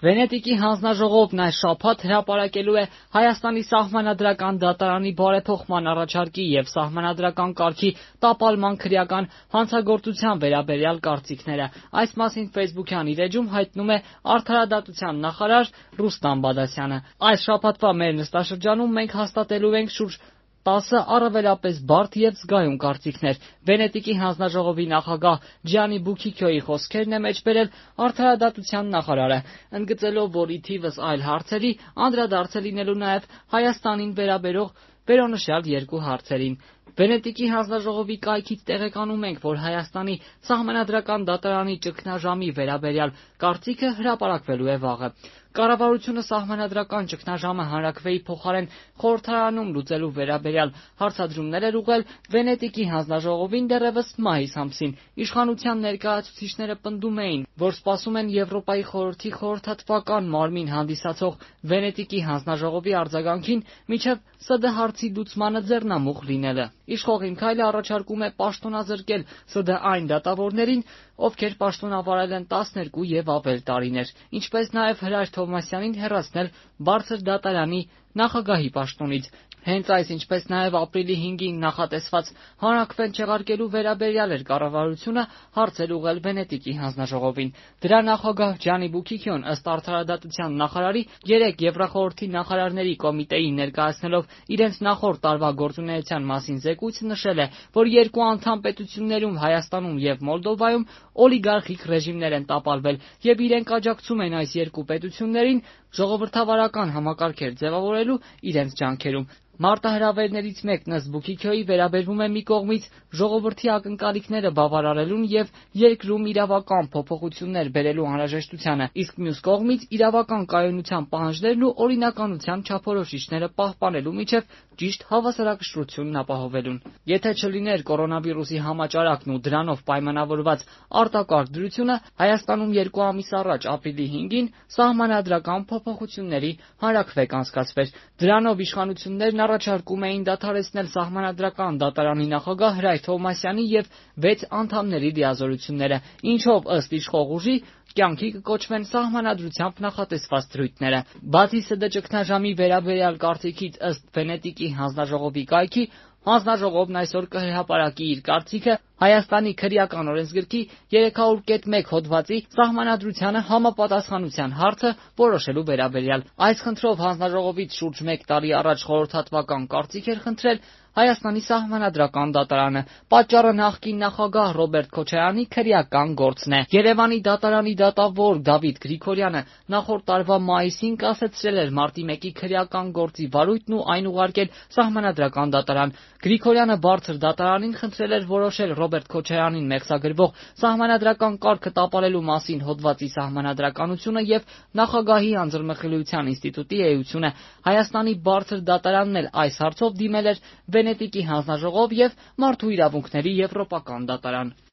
Վենետիկի հանձնաժողովն այս շաբաթ հրապարակելու է Հայաստանի սահմանադրական դատարանի բարեփոխման առաջարկի եւ սահմանադրական կարգի տապալման քրեական հանցագործության վերաբերյալ կարծիքները։ Այս մասին Facebook-յան իր էջում հայտնում է Արդարադատության նախարար Ռուստամ Բադասյանը։ Այս շաբաթվա մեր նստաշրջանում մենք հաստատելու ենք շուրջ 10 առավելապես բարդ եւ զգայուն կարծիքներ։ Վենետիկի հանձնաժողովի նախագահ Ջիանի Բուքիքյոյի խոսքերն է մեջբերել Արդարադատության նախարարը, ընդգծելով, որ ի թիվս այլ հարցերի անդրադարձ է լինելու նաեւ Հայաստանին վերաբերող վերոնշյալ երկու հարցերին։ Վենետիկի հանձնաժողովի կայքից տեղեկանում ենք, որ Հայաստանի սահմանադրական դատարանի ճգնաժամի վերաբերյալ կարծիքը հրապարակվելու է վաղը։ Կառավարությունը սահմանադրական ճգնաժամը հանրաքվեի փոխարեն խորհրդարանում լուծելու վերաբերյալ հարցադրումներ էր ուղղել Վենետիկի հանձնաժողովին դեռևս մայիս ամսին։ Իշխանության ներկայացուցիչները պնդում էին, որ սպասում են Եվրոպայի խորհրդի խորհրդատվական մարմին հանդիսացող Վենետիկի հանձնաժողովի արձագանքին, մինչև ՍԴ հարցի լուծմանը ձեռնամուխ լինելը։ Իշխող Իմ քայլը առաջարկում է պաշտոնազրկել ՍԴ այն դատավորներին, ովքեր պաշտոնավարել են 12 եւ ավել տարիներ, ինչպես նաեւ Հրաշ Թովմասյանին հեռացնել բարձր դատարանի նախագահի պաշտոնից։ Հենց այս, ինչպես նաև ապրիլի 5-ին նախատեսված հանրաքվեն չեղարկելու վերաբերյալ էր կառավարությունը հարցեր ուղղել Վենետիկի հանձնաժողովին։ Դրա նախագահ Ջանի Բուքիքյոն ըստ Արդարադատության նախարարի 3 Եվրախորհրդի նախարարների կոմիտեին ներկայացնելով իրենց նախորդ տարվա գործունեության մասին զեկույց նշել է, որ երկու անդամ պետություններում Հայաստանում եւ Մոլդովայում օլիգարխիկ ռեժիմներ են տապալվել եւ իրենք աջակցում են այս երկու պետություններին ժողովրդավարական համակարգեր ձևավորելու իրենց ջանքերում։ Մարտահրավերներից մեկն ըստ Բուքիքյոյի վերաբերվում է մի կողմից ժողովրդի ակնկալիքները բավարարելուն եւ երկրում իրավական փոփոխություններ բերելու անհրաժեշտությանը, իսկ մյուս կողմից իրավական կայունության պահանջներն ու օրինականության չափորոշիչները պահպանելու միջև ճիշտ հավասարակշռությունն ապահովելուն։ Եթե չլիներ կորոնավիրուսի համաճարակն ու դրանով պայմանավորված արտակարգ դրությունը, Հայաստանում 2 ամիս առաջ ապրիլի 5-ին սահմանադրական փոփոխությունների հանրաքվե կանցկացվեր։ Դրանով իշխանություններն առաջարկում էին դադարեցնել սահմանադրական դատարանի նախագահ Հրաշ Թովմասյանի եւ 6 անդամների դիազորությունները, ինչով ըստ իշխող ուժի կյանքի կկոչվեն սահմանադրությամբ նախատեսված դրույթները։ Բացի ՍԴ ճգնաժամի վերաբերյալ կարծիքից ըստ Վենետիկի հանձնաժողովի կայքի, հանձնաժողովն այսօր կհրապարակի իր կարծիքը Հայաստանի քրեական օրենսգրքի 300.1 հոդվածի սահմանադրությանը համապատասխանության հարցը որոշելու վերաբերյալ։ Այս խնդրով հանձնաժողովից շուրջ 1 տարի առաջ խորհրդատվական կարծիք էր խնդրել Հայաստանի սահմանադրական դատարանը։ Պատճառը նախկին նախագահ Ռոբերտ Քոչարյանի քրեական գործն է։ Երևանի դատարանի դատավոր Դավիթ Գրիգորյանը նախորդ տարվա մայիսին կասեցրել էր մարտի 1-ի քրեական գործի վարույթն ու այն ուղարկել սահմանադրական դատարան։ Գրիգորյանը բարձր դատարանին խնդրել էր որոշել Ռոբերտ Քոչարյանին մեղսագրվող սահմանադրական կարգը տապալելու մասին հոդվածի սահմանադրականությունը եւ նախագահի անձեռնմխելիության ինստիտուտի էությունը։ Հայաստանի բարձր դատարանն էլ այս հարցով դիմել էր Վենետիկի հանձնաժողով եւ Մարդու իրավունքների եվրոպական դատարան։